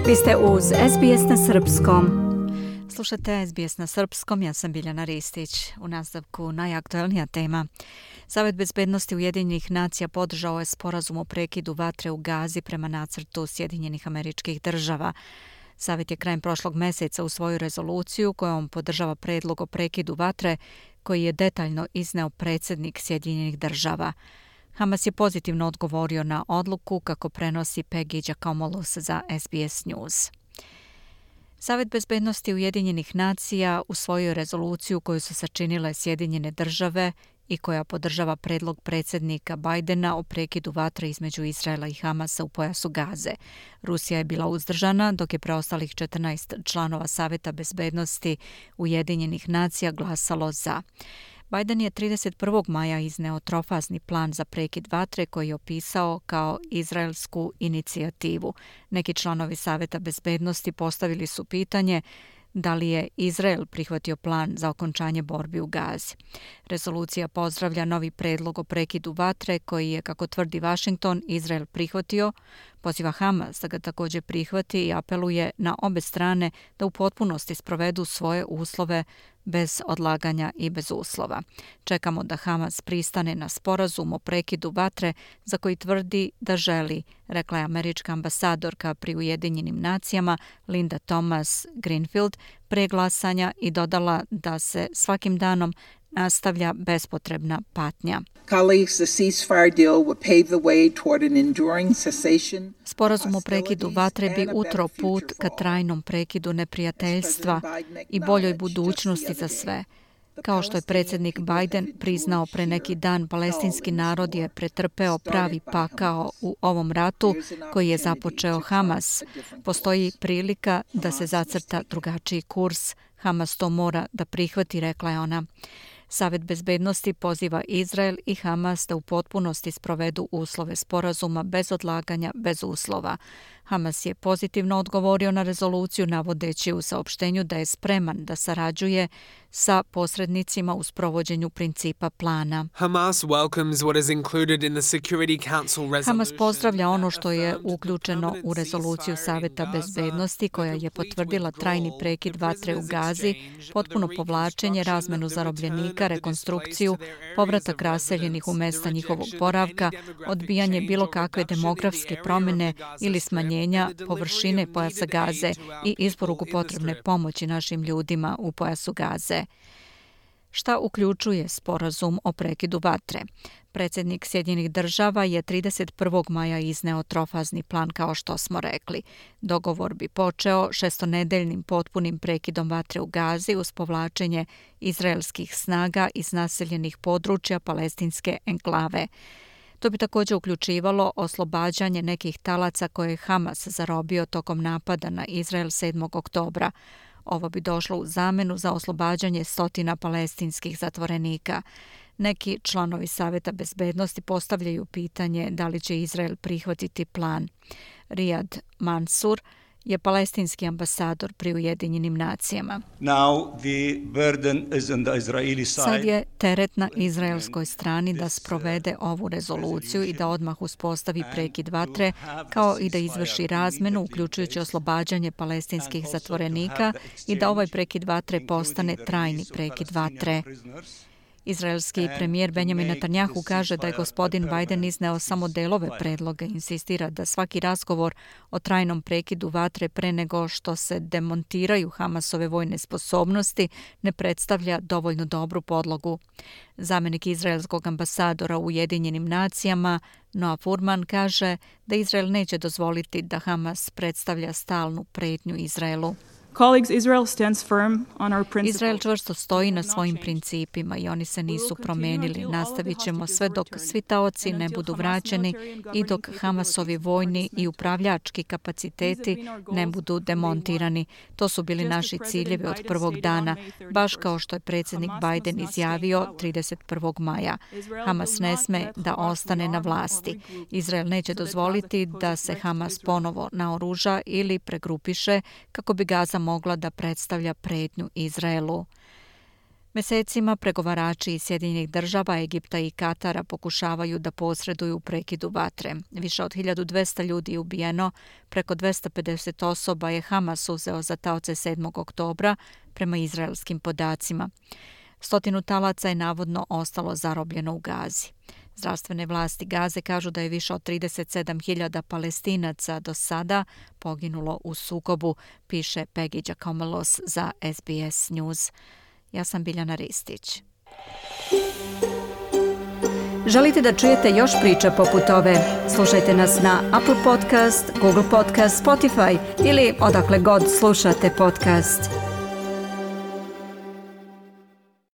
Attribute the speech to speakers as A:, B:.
A: Vi ste uz SBS na Srpskom.
B: Slušate SBS na Srpskom, ja sam Biljana Ristić. U nastavku najaktuelnija tema. Savet bezbednosti Ujedinjenih nacija podržao je sporazum o prekidu vatre u Gazi prema nacrtu Sjedinjenih Američkih Država. Savet je krajem prošlog meseca usvojio rezoluciju kojom podržava predlog o prekidu vatre koji je detaljno izneo predsjednik Sjedinjenih Država. Hamas je pozitivno odgovorio na odluku, kako prenosi Peggy Giacomolos za SBS News. Savet bezbednosti Ujedinjenih nacija usvojio je rezoluciju koju su sačinile Sjedinjene Države i koja podržava predlog predsjednika Bidena o prekidu vatre između Izraela i Hamasa u pojasu Gaze. Rusija je bila uzdržana, dok je preostalih 14 članova Saveta bezbednosti Ujedinjenih nacija glasalo za. Biden je 31. maja izneo trofazni plan za prekid vatre koji je opisao kao izraelsku inicijativu. Neki članovi Saveta bezbednosti postavili su pitanje da li je Izrael prihvatio plan za okončanje borbi u Gazi. Rezolucija pozdravlja novi predlog o prekidu vatre koji je, kako tvrdi Washington, Izrael prihvatio, poziva Hamas da ga također prihvati i apeluje na obe strane da u potpunosti sprovedu svoje uslove bez odlaganja i bez uslova. Čekamo da Hamas pristane na sporazum o prekidu vatre za koji tvrdi da želi, rekla je američka ambasadorka pri Ujedinjenim nacijama Linda Thomas Greenfield pre glasanja i dodala da se svakim danom nastavlja bespotrebna patnja. Sporazum o prekidu vatre bi utro put ka trajnom prekidu neprijateljstva i boljoj budućnosti za sve. Kao što je predsjednik Biden priznao pre neki dan, palestinski narod je pretrpeo pravi pakao u ovom ratu koji je započeo Hamas. Postoji prilika da se zacrta drugačiji kurs. Hamas to mora da prihvati, rekla je ona. Savet bezbednosti poziva Izrael i Hamas da u potpunosti sprovedu uslove sporazuma bez odlaganja, bez uslova. Hamas je pozitivno odgovorio na rezoluciju navodeći u saopštenju da je spreman da sarađuje sa posrednicima u sprovođenju principa plana. Hamas pozdravlja ono što je uključeno u rezoluciju Saveta bezbednosti koja je potvrdila trajni prekid vatre u Gazi, potpuno povlačenje, razmenu zarobljenika, rekonstrukciju, povratak raseljenih u mesta njihovog boravka, odbijanje bilo kakve demografske promjene ili smanjenja površine pojasa Gaze i isporuku potrebne pomoći našim ljudima u pojasu Gaze. Šta uključuje sporazum o prekidu vatre? Predsjednik Sjedinjenih Država je 31. maja izneo trofazni plan, kao što smo rekli. Dogovor bi počeo 6-nedeljnim potpunim prekidom vatre u Gazi uz povlačenje izraelskih snaga iz naseljenih područja palestinske enklave. To bi također uključivalo oslobađanje nekih talaca koje je Hamas zarobio tokom napada na Izrael 7. oktobra. Ovo bi došlo u zamenu za oslobađanje stotina palestinskih zatvorenika. Neki članovi Saveta bezbednosti postavljaju pitanje da li će Izrael prihvatiti plan. Riyad Mansour je palestinski ambasador pri Ujedinjenim nacijama. Sad je teret na izraelskoj strani da sprovede ovu rezoluciju i da odmah uspostavi prekid vatre, kao i da izvrši razmenu, uključujući oslobađanje palestinskih zatvorenika i da ovaj prekid vatre postane trajni prekid vatre. Izraelski premijer Benjamin Netanjahu kaže da je gospodin Biden izneo samo delove predloga i insistira da svaki razgovor o trajnom prekidu vatre pre nego što se demontiraju Hamasove vojne sposobnosti ne predstavlja dovoljno dobru podlogu. Zamenik izraelskog ambasadora u Ujedinjenim nacijama Noah Furman kaže da Izrael neće dozvoliti da Hamas predstavlja stalnu pretnju Izraelu. Izrael čvrsto stoji na svojim principima i oni se nisu promijenili. Nastavit ćemo sve dok svi taoci ne budu vraćeni i dok Hamasovi vojni i upravljački kapaciteti ne budu demontirani. To su bili naši ciljevi od prvog dana, baš kao što je predsjednik Biden izjavio 31. maja. Hamas ne sme da ostane na vlasti. Izrael neće dozvoliti da se Hamas ponovo naoruža ili pregrupiše kako bi Gaza mogla da predstavlja pretnju Izraelu. Mesecima pregovarači iz Sjedinjenih država, Egipta i Katara pokušavaju da posreduju u prekidu vatre. Više od 1200 ljudi je ubijeno, preko 250 osoba je Hamas uzeo za taoce 7. oktobra prema izraelskim podacima. 100 talaca je navodno ostalo zarobljeno u Gazi. Zdravstvene vlasti Gaze kažu da je više od 37.000 Palestinaca do sada poginulo u sukobu, piše Peggy Giacomelos za SBS News. Ja sam Biljana Ristić.
A: Želite da čujete još priča poput ove? Slušajte nas na Apple Podcast, Google Podcast, Spotify ili odakle god slušate podcast.